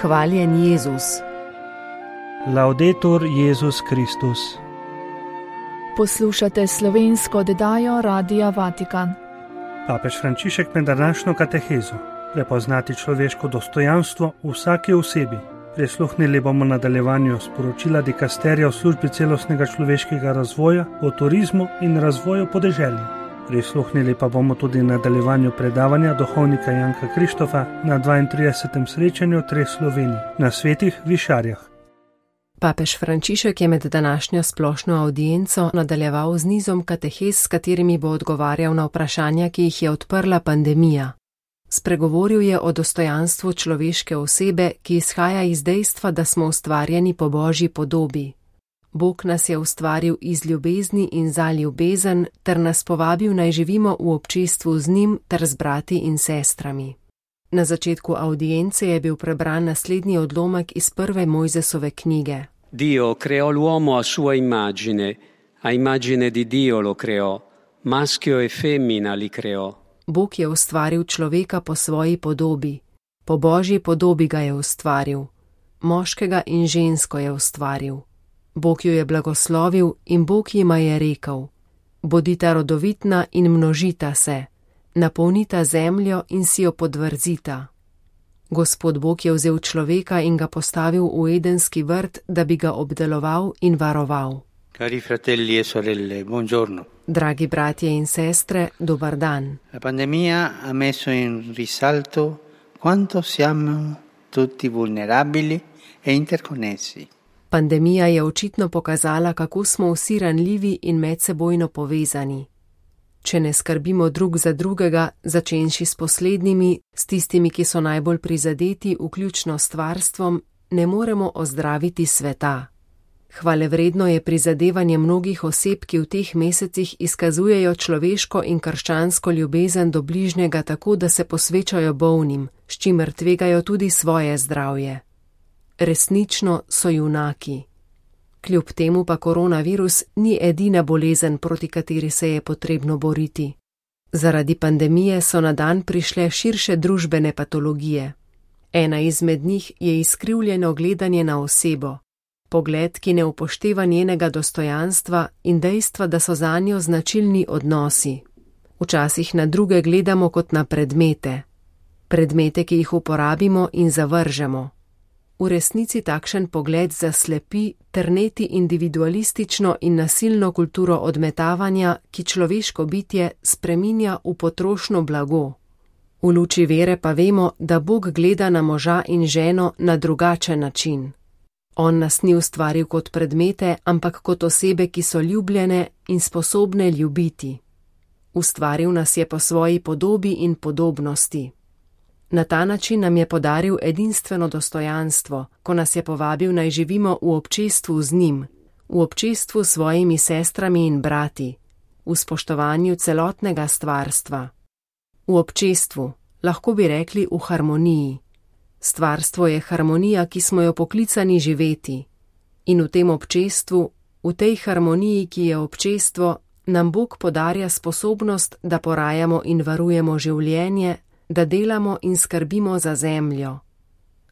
Hvaljen Jezus. Laudetur Jezus Kristus. Poslušate slovensko oddajo Radia Vatikan. Papež Frančišek med današnjo katehezo prepoznati človeško dostojanstvo v vsaki osebi. Prisluhnili bomo nadaljevanju sporočila dikasterija v službi celostnega človeškega razvoja, o turizmu in razvoju podeželja. Prisluhnili pa bomo tudi nadaljevanju predavanja duhovnika Janka Krištofa na 32. srečanju treh Slovenij na Svetih Višarjah. Papež Frančišek je med današnjo splošno avdienco nadaljeval z nizom katehez, s katerimi bo odgovarjal na vprašanja, ki jih je odprla pandemija. Spregovoril je o dostojanstvu človeške osebe, ki izhaja iz dejstva, da smo ustvarjeni po Božji podobi. Bog nas je ustvaril iz ljubezni in za ljubezen ter nas povabil naj živimo v občestvu z njim ter z brati in sestrami. Na začetku audience je bil prebran naslednji odlomek iz prve Mojzesove knjige. Dio creò l'uomo a sua immagine, a immagine di Dio lo creò, maschio e femmina li creò. Bog je ustvaril človeka po svoji podobi, po Božji podobi ga je ustvaril, moškega in žensko je ustvaril. Bog jo je blagoslovil in Bog jima je rekel: bodita rodovitna in množita se, napolnita zemljo in si jo podvrzita. Gospod Bog je vzel človeka in ga postavil v Edenski vrt, da bi ga obdeloval in varoval. Cari fratelli e sorelle, buongiorno. Dragi bratje in sestre, dobar dan. La pandemia ha messo in risalto quanto siamo tutti vulnerabili e interconnessi. Pandemija je očitno pokazala, kako smo vsi ranljivi in medsebojno povezani. Če ne skrbimo drug za drugega, začenši s poslednjimi, s tistimi, ki so najbolj prizadeti, vključno s stvarstvom, ne moremo ozdraviti sveta. Hvalevredno je prizadevanje mnogih oseb, ki v teh mesecih izkazujejo človeško in krščansko ljubezen do bližnjega tako, da se posvečajo bolnim, s čimer tvegajo tudi svoje zdravje. Resnično so junaki. Kljub temu pa koronavirus ni edina bolezen, proti kateri se je potrebno boriti. Zaradi pandemije so na dan prišle širše družbene patologije. Ena izmed njih je izkrivljeno gledanje na osebo, pogled, ki ne upošteva njenega dostojanstva in dejstva, da so zanjo značilni odnosi. Včasih na druge gledamo kot na predmete, ki jih uporabimo in zavržemo. V resnici takšen pogled zaslepi ter neti individualistično in nasilno kulturo odmetavanja, ki človeško bitje spreminja v potrošno blago. V luči vere pa vemo, da Bog gleda na moža in ženo na drugačen način. On nas ni ustvaril kot predmete, ampak kot osebe, ki so ljubljene in sposobne ljubiti. Ustvaril nas je po svoji podobi in podobnosti. Na ta način nam je podaril edinstveno dostojanstvo, ko nas je povabil naj živimo v občestvu z njim, v občestvu s svojimi sestrami in brati, v spoštovanju celotnega stvarstva. V občestvu, lahko bi rekli v harmoniji. Stvarstvo je harmonija, ki smo jo poklicani živeti. In v tem občestvu, v tej harmoniji, ki je občestvo, nam Bog podarja sposobnost, da porajamo in varujemo življenje, da delamo in skrbimo za zemljo.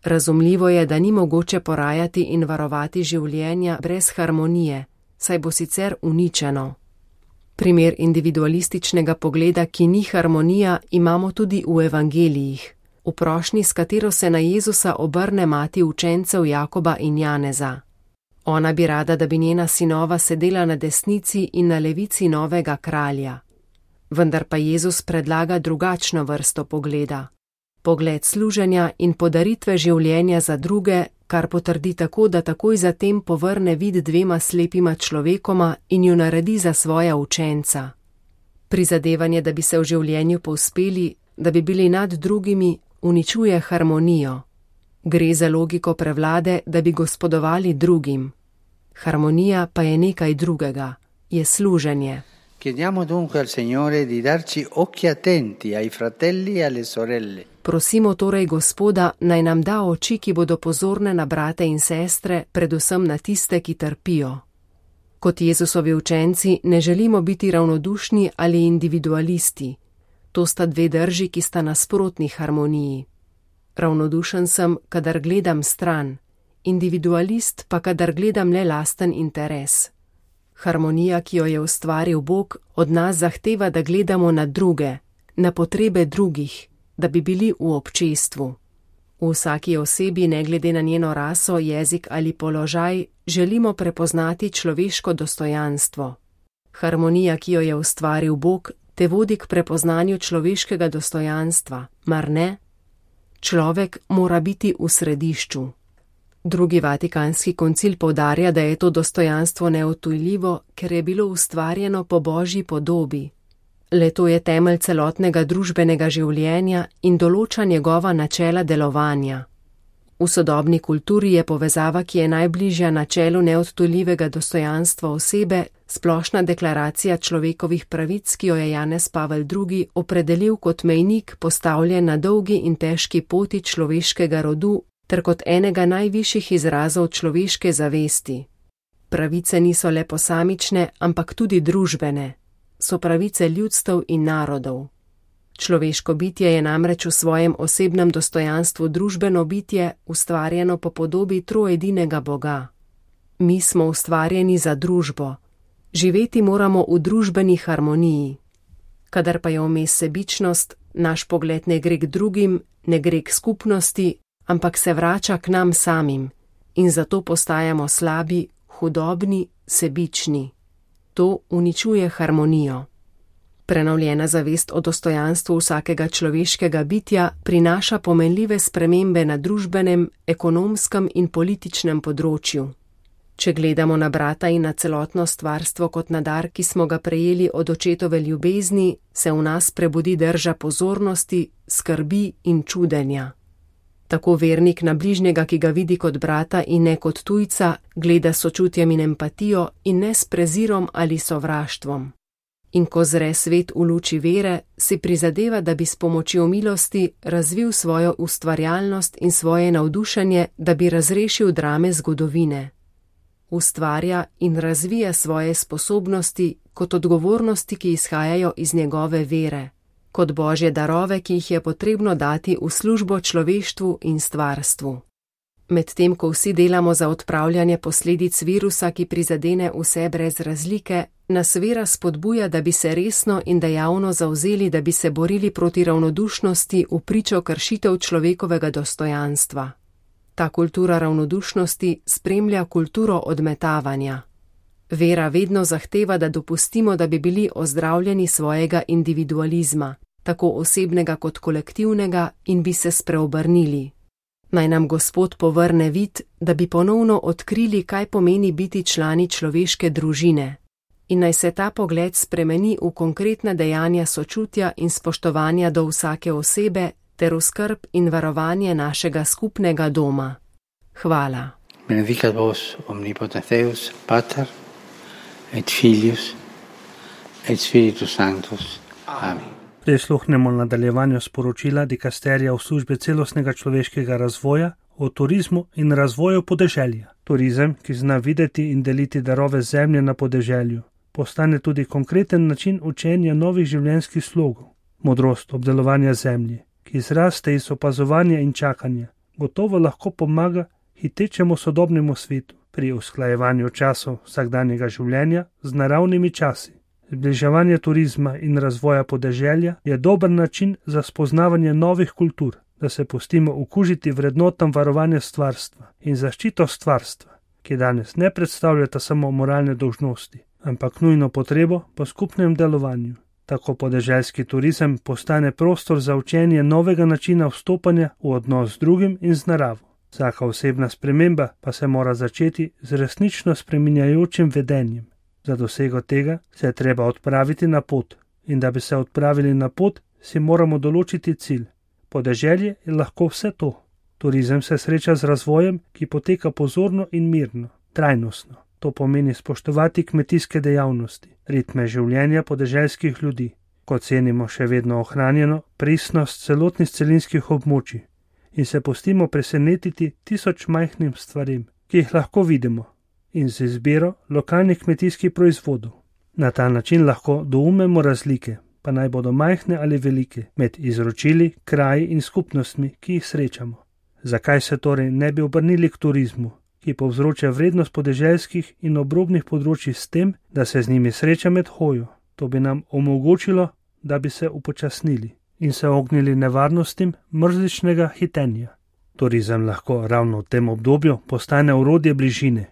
Razumljivo je, da ni mogoče porajati in varovati življenja brez harmonije, saj bo sicer uničeno. Primer individualističnega pogleda, ki ni harmonija, imamo tudi v evangelijih, v prošnji, s katero se na Jezusa obrne mati učencev Jakoba in Janeza. Ona bi rada, da bi njena sinova sedela na desnici in na levici novega kralja. Vendar pa Jezus predlaga drugačno vrsto pogleda. Pogled služenja in podaritve življenja za druge, kar potrdi tako, da takoj zatem povrne vid dvema slepima človekoma in ju naredi za svoja učenca. Prizadevanje, da bi se v življenju povzpeli, da bi bili nad drugimi, uničuje harmonijo. Gre za logiko prevlade, da bi gospodovali drugim. Harmonija pa je nekaj drugega, je služenje. Chiediamo dunque al Signore di darci occhi attenti ai fratelli e alle sorelle. Prosimo torej Gospoda, naj nam da oči, ki bodo pozorne na brate in sestre, predvsem na tiste, ki trpijo. Kot Jezusovi učenci ne želimo biti ravnodušni ali individualisti. To sta dve drži, ki sta nasprotni harmoniji. ravnodušen sem, kadar gledam stran, individualist pa kadar gledam le lasten interes. Harmonija, ki jo je ustvaril Bog, od nas zahteva, da gledamo na druge, na potrebe drugih, da bi bili v občestvu. V vsaki osebi, ne glede na njeno raso, jezik ali položaj, želimo prepoznati človeško dostojanstvo. Harmonija, ki jo je ustvaril Bog, te vodi k prepoznanju človeškega dostojanstva, mar ne? Človek mora biti v središču. Drugi Vatikanski koncil poudarja, da je to dostojanstvo neodtujljivo, ker je bilo ustvarjeno po Božji podobi. Le to je temelj celotnega družbenega življenja in določa njegova načela delovanja. V sodobni kulturi je povezava, ki je najbližja načelu neodtujljivega dostojanstva osebe, splošna deklaracija človekovih pravic, ki jo je Janez Pavel II. Opredelil kot mejnik, postavljen na dolgi in težki poti človeškega rodu, ter kot enega najvišjih izrazov človeške zavesti. Pravice niso le posamične, ampak tudi družbene. So pravice ljudstev in narodov. Človeško bitje je namreč v svojem osebnem dostojanstvu družbeno bitje, ustvarjeno po podobi troedinega Boga. Mi smo ustvarjeni za družbo. Živeti moramo v družbeni harmoniji. Kadar pa je vmes sebičnost, naš pogled ne gre k drugim, ne gre k skupnosti, ampak se vrača k nam samim in zato postajamo slabi, hudobni, sebični. To uničuje harmonijo. Prenovljena zavest o dostojanstvu vsakega človeškega bitja prinaša pomenljive spremembe na družbenem, ekonomskem in političnem področju. Če gledamo na brata in na celotno stvarstvo kot na dar, ki smo ga prejeli od očetove ljubezni, se v nas prebudi drža pozornosti, skrbi in čudenja. Tako vernik na bližnjega, ki ga vidi kot brata in ne kot tujca, gleda s sočutjem in empatijo in ne s prezirom ali sovraštvom. In ko zre svet v luči vere, si prizadeva, da bi s pomočjo milosti razvil svojo ustvarjalnost in svoje navdušenje, da bi razrešil drame zgodovine. Ustvarja in razvija svoje sposobnosti kot odgovornosti, ki izhajajo iz njegove vere, kot božje darove, ki jih je potrebno dati v službo človeštvu in stvarstvu. Medtem, ko vsi delamo za odpravljanje posledic virusa, ki prizadene vse brez razlike, nas vera spodbuja, da bi se resno in dejavno zavzeli, da bi se borili proti ravnodušnosti v pričo kršitev človekovega dostojanstva. Ta kultura ravnodušnosti spremlja kulturo odmetavanja. Vera vedno zahteva, da dopustimo, da bi bili ozdravljeni svojega individualizma, tako osebnega kot kolektivnega, in bi se spreobrnili. Naj nam Gospod povrne vid, da bi ponovno odkrili, kaj pomeni biti člani človeške družine. In naj se ta pogled spremeni v konkretna dejanja sočutja in spoštovanja do vsake osebe ter v skrb in varovanje našega skupnega doma. Hvala. Benedicat vos omnipotens Deus, Pater, et Filius, et Spiritus Sanctus. Amen. Prisluhnemo nadaljevanju sporočila dikasterija v službi celostnega človeškega razvoja o turizmu in razvoju podeželja. Turizem, ki zna videti in deliti darove zemlje na podeželju, postane tudi konkreten način učenja novih življenjskih slogov. Modrost obdelovanja zemlje, ki izraste iz opazovanja in čakanja, gotovo lahko pomaga hitečemu sodobnemu svetu pri usklajevanju časov vsakdanjega življenja z naravnimi časi. Zbliževanje turizma in razvoja podeželja je dober način za spoznavanje novih kultur, da se pustimo okužiti vrednotam varovanja stvarstva in zaščito stvarstva, ki danes ne predstavljata samo moralne dolžnosti, ampak nujno potrebo po skupnem delovanju. Tako podeželski turizem postane prostor za učenje novega načina vstopanja v odnos z drugim in z naravo. Vsaka osebna sprememba pa se mora začeti z resnično spreminjajočim vedenjem. Za dosego tega se je treba odpraviti na pot in da bi se odpravili na pot, si moramo določiti cilj. Podeželje je lahko vse to. Turizem se sreča z razvojem, ki poteka pozorno in mirno, trajnostno. To pomeni spoštovati kmetijske dejavnosti, ritme življenja podeželskih ljudi, ko cenimo še vedno ohranjeno pristnost celotnih celinskih območij in se pustimo presenetiti 1000 majhnim stvarem, ki jih lahko vidimo, in z izbiro lokalnih kmetijskih proizvodov. Na ta način lahko doumemo razlike, pa naj bodo majhne ali velike, med izročili, kraji in skupnostmi, ki jih srečamo. Zakaj se torej ne bi obrnili k turizmu, ki povzroča vrednost podeželskih in obrobnih področij s tem, da se z njimi sreča med hojo? To bi nam omogočilo, da bi se upočasnili in se ognili nevarnostim mrzličnega hitenja. Turizem lahko ravno v tem obdobju postane orodje bližine.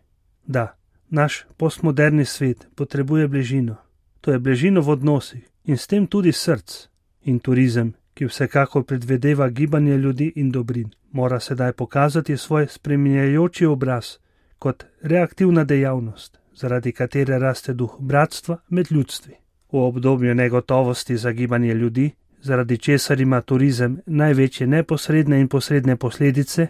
Da, naš postmoderni svet potrebuje bližino. To je bližino v odnosih in s tem tudi src. In turizem, ki vsekakor predvedeva gibanje ljudi in dobrin, mora sedaj pokazati svoj spreminjajoči obraz kot reaktivna dejavnost, zaradi katere raste duh bratstva med ljudstvi. V obdobju negotovosti za gibanje ljudi, zaradi česar ima turizem največje neposredne in posredne posledice,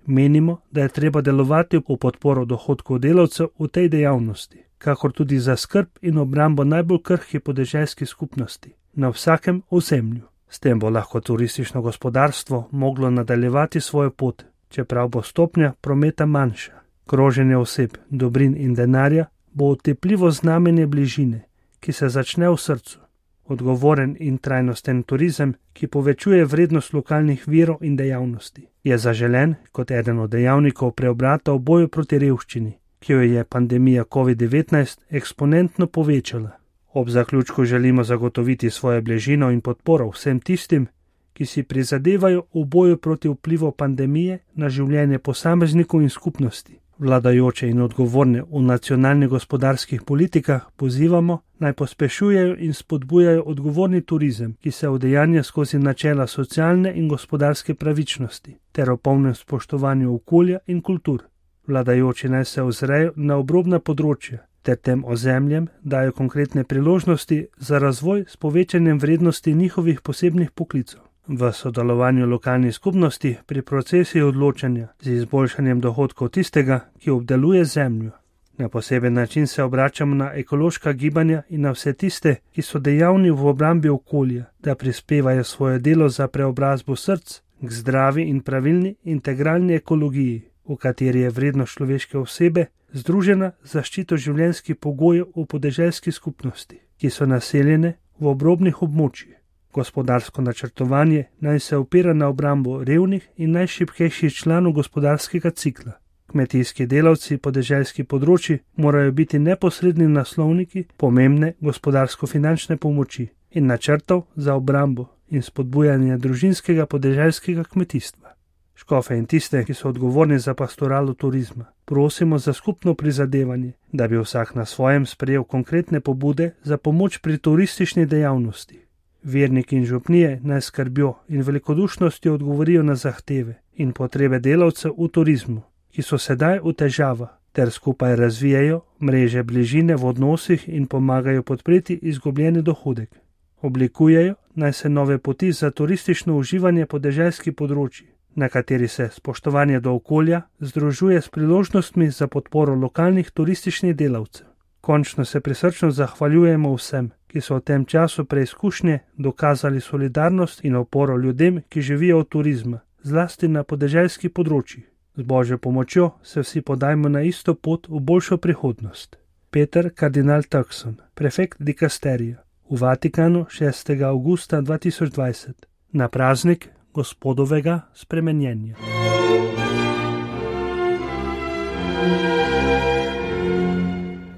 menimo, da je treba delovati v podporo dohodkov delavcev v tej dejavnosti, kakor tudi za skrb in obrambo najbolj krhkih podeželskih skupnosti na vsakem ozemlju. S tem bo lahko turistično gospodarstvo moglo nadaljevati svojo pot, čeprav bo stopnja prometa manjša. Kroženje oseb, dobrin in denarja bo otepljivo znamenje bližine, ki se začne v srcu. Odgovoren in trajnosten turizem, ki povečuje vrednost lokalnih virov in dejavnosti, je zaželen kot eden od dejavnikov preobrata v boju proti revščini, ki jo je pandemija COVID-19 eksponentno povečala. Ob zaključku želimo zagotoviti svojo bližino in podporo vsem tistim, ki si prizadevajo v boju proti vplivu pandemije na življenje posameznikov in skupnosti. Vladajoče in odgovorne v nacionalnih gospodarskih politikah pozivamo, naj pospešujejo in spodbujajo odgovorni turizem, ki se udejanja skozi načela socialne in gospodarske pravičnosti, ter o polnem spoštovanju okolja in kultur. Vladajoči naj se ozrejo na obrobna področja, ter tem ozemljem dajo konkretne priložnosti za razvoj s povečanjem vrednosti njihovih posebnih poklicev. V sodelovanju lokalnih skupnosti pri procesih odločanja z izboljšanjem dohodkov tistega, ki obdeluje zemljo. Na poseben način se obračamo na ekološka gibanja in na vse tiste, ki so dejavni v obrambi okolja, da prispevajo svoje delo za preobrazbo src k zdravi in pravilni integralni ekologiji, v kateri je vrednost človeške osebe združena z zaščito življenjskih pogojev v podeželski skupnosti, ki so naseljene v obrobnih območjih. Gospodarsko načrtovanje naj se opira na obrambo revnih in najšibkejših članov gospodarskega cikla. Kmetijski delavci podeželskih področji morajo biti neposredni naslovniki pomembne gospodarsko-finančne pomoči in načrtov za obrambo in spodbujanje družinskega podeželskega kmetijstva. Škofe in tiste, ki so odgovorni za pastoralo turizma, prosimo za skupno prizadevanje, da bi vsak na svojem sprejel konkretne pobude za pomoč pri turistični dejavnosti. Verniki in župnije naj skrbijo in velikodušnostjo odgovorijo na zahteve in potrebe delavcev v turizmu, ki so sedaj v težavah, ter skupaj razvijajo mreže bližine v odnosih in pomagajo podpreti izgubljeni dohodek. Oblikujejo naj se nove poti za turistično uživanje podeželskih področji, na kateri se spoštovanje do okolja združuje s priložnostmi za podporo lokalnih turističnih delavcev. Končno se prisrčno zahvaljujemo vsem, ki so v tem času preizkušnje dokazali solidarnost in oporo ljudem, ki živijo od turizma, zlasti na podeželskih področjih. Z Božjo pomočjo se vsi podajmo na isto pot v boljšo prihodnost. Peter kardinal Turkson, prefekt dikasterija, v Vatikanu 6. avgusta 2020, na praznik Gospodovega spremenjenja.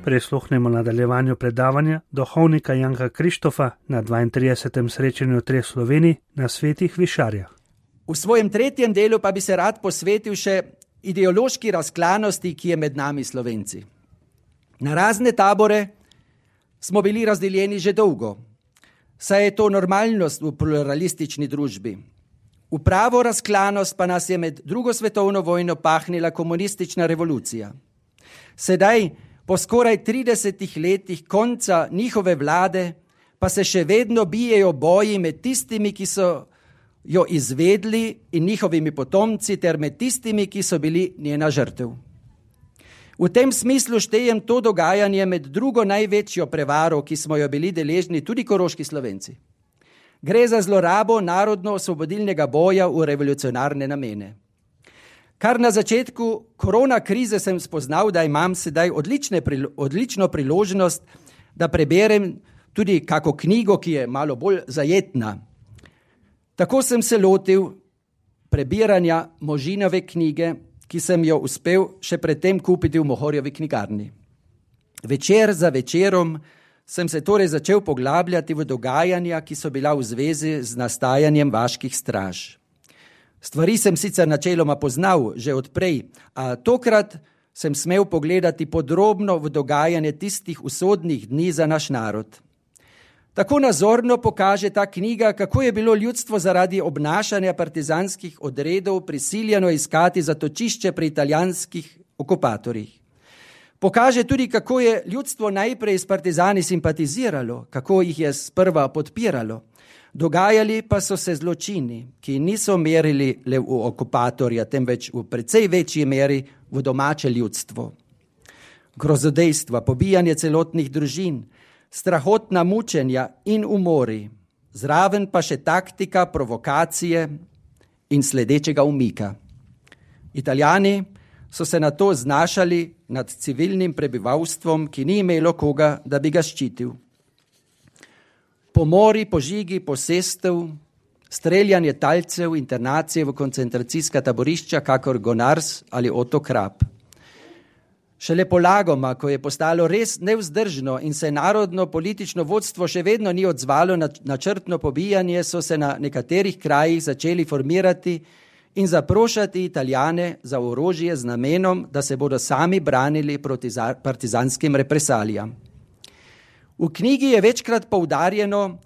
Prisluhnemo nadaljevanju predavanja duhovnika Janka Krištofa na 32. srečanju treh Slovenij na Svetih Višarjah. V svojem tretjem delu pa bi se rad posvetil še ideološki razklanosti, ki je med nami Slovenci. Na razne tabore smo bili razdeljeni že dolgo, saj je to normalnost v pluralistični družbi. V pravo razklanost pa nas je med drugo svetovno vojno pahnila komunistična revolucija. Sedaj, po skoraj 30 letih konca njihove vlade, pa se še vedno bijejo boji med tistimi, ki so jo izvedli in njihovimi potomci, ter med tistimi, ki so bili njena žrtev. V tem smislu štejem to dogajanje med drugo največjo prevaro, ki smo jo bili deležni tudi koroški Slovenci. Gre za zlorabo narodno-osvobodilnega boja v revolucionarne namene. Kar na začetku korona krize sem spoznal, da imam sedaj odlično priložnost, da preberem tudi kako knjigo, ki je malo bolj zajetna. Tako sem se lotil prebiranja Možinove knjige, ki sem jo uspel še predtem kupiti v Mohorjevi knjigarni. Večer za večerom sem se torej začel poglabljati v dogajanja, ki so bila v zvezi z nastajanjem vaških straž. Stvari sem sicer načeloma poznal že odprej, a tokrat sem smel pogledati podrobno v dogajanje tistih usodnih dni za naš narod. Tako nazorno pokaže ta knjiga, kako je bilo ljudstvo zaradi obnašanja partizanskih odredov prisiljeno iskati zatočišče pri italijanskih okupatorjih. Pokaže tudi, kako je ljudstvo najprej s partizani simpatiziralo, kako jih je sprva podpiralo. Dogajali pa so se zločini, ki niso merili le v okupatorja, temveč v precej večji meri v domače ljudstvo. Grozodejstva, pobijanje celotnih družin, strahotna mučenja in umori, zraven pa še taktika provokacije in sledečega umika. Italijani so se na to znašali nad civilnim prebivalstvom, ki ni imelo koga, da bi ga ščitil. Pomori, požigi, posestev, streljanje talcev, internacije v koncentracijska taborišča, kakor Gonars ali Oto Krap. Šele polagoma, ko je postalo res nevzdržno in se narodno politično vodstvo še vedno ni odzvalo na načrtno pobijanje, so se na nekaterih krajih začeli formirati in zaprošati Italijane za orožje z namenom, da se bodo sami branili proti partizanskim represalijam. V knjigi je večkrat poudarjeno,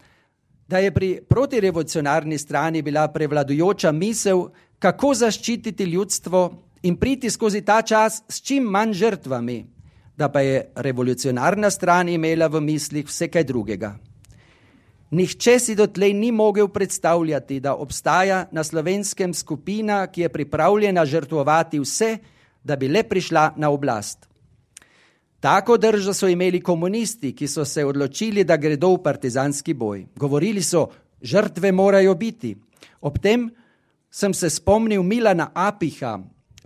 da je pri protirevolucionarni strani bila prevladujoča misel, kako zaščititi ljudstvo in priti skozi ta čas s čim manj žrtvami, da pa je revolucionarna stran imela v mislih vse kaj drugega. Nihče si dotlej ni mogel predstavljati, da obstaja na Slovenskem skupina, ki je pripravljena žrtvovati vse, da bi le prišla na oblast. Tako držo so imeli komunisti, ki so se odločili, da gredo v partizanski boj. Govorili so, žrtve morajo biti. Ob tem sem se spomnil Milana Apiha,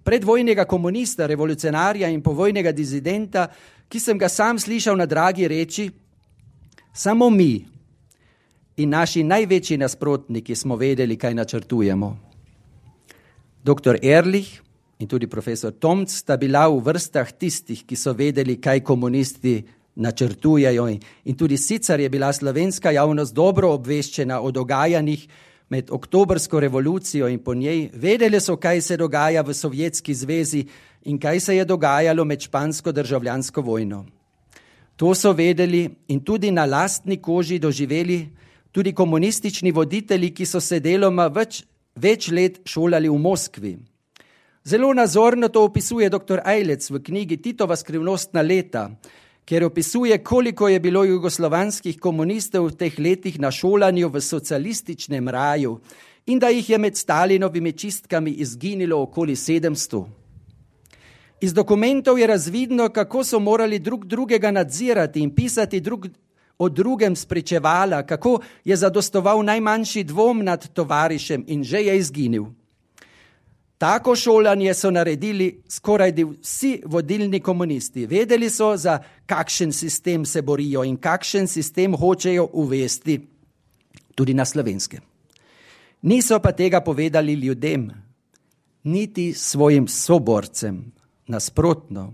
predvojnega komunista, revolucionarja in povojnega dizidenta, ki sem ga sam slišal na dragi reči, samo mi in naši največji nasprotniki smo vedeli, kaj načrtujemo. Dr. Ehrlich in tudi profesor Tomc sta bila v vrstah tistih, ki so vedeli, kaj komunisti načrtujejo in tudi sicer je bila slovenska javnost dobro obveščena o dogajanjih med oktobrsko revolucijo in po njej. Vedeli so, kaj se dogaja v Sovjetski zvezi in kaj se je dogajalo med špansko državljansko vojno. To so vedeli in tudi na lastni koži doživeli tudi komunistični voditelji, ki so se deloma več let šolali v Moskvi. Zelo nazorno to opisuje dr. Ajlec v knjigi Titova skrivnostna leta, kjer opisuje, koliko je bilo jugoslovanskih komunistov v teh letih na šolanju v socialističnem raju in da jih je med Stalinovimi čistkami izginilo okoli 700. Iz dokumentov je razvidno, kako so morali drug drugega nadzirati in pisati o drugem spričevala, kako je zadostoval najmanjši dvom nad tovarišem in že je izginil. Tako šolanje so naredili skoraj vsi vodilni komunisti. Vedeli so, za kakšen sistem se borijo in kakšen sistem hočejo uvesti tudi na Slovenskem. Niso pa tega povedali ljudem, niti svojim soborcem. Nasprotno.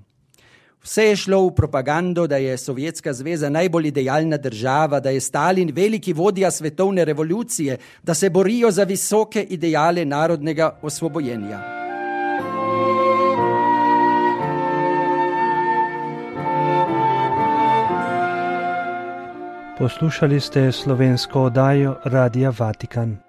Vse je šlo v propagando, da je Sovjetska zveza najbolj idealna država, da je Stalin veliki vodja svetovne revolucije, da se borijo za visoke ideale narodnega osvobojenja. Poslušali ste slovensko oddajo Radia Vatikan.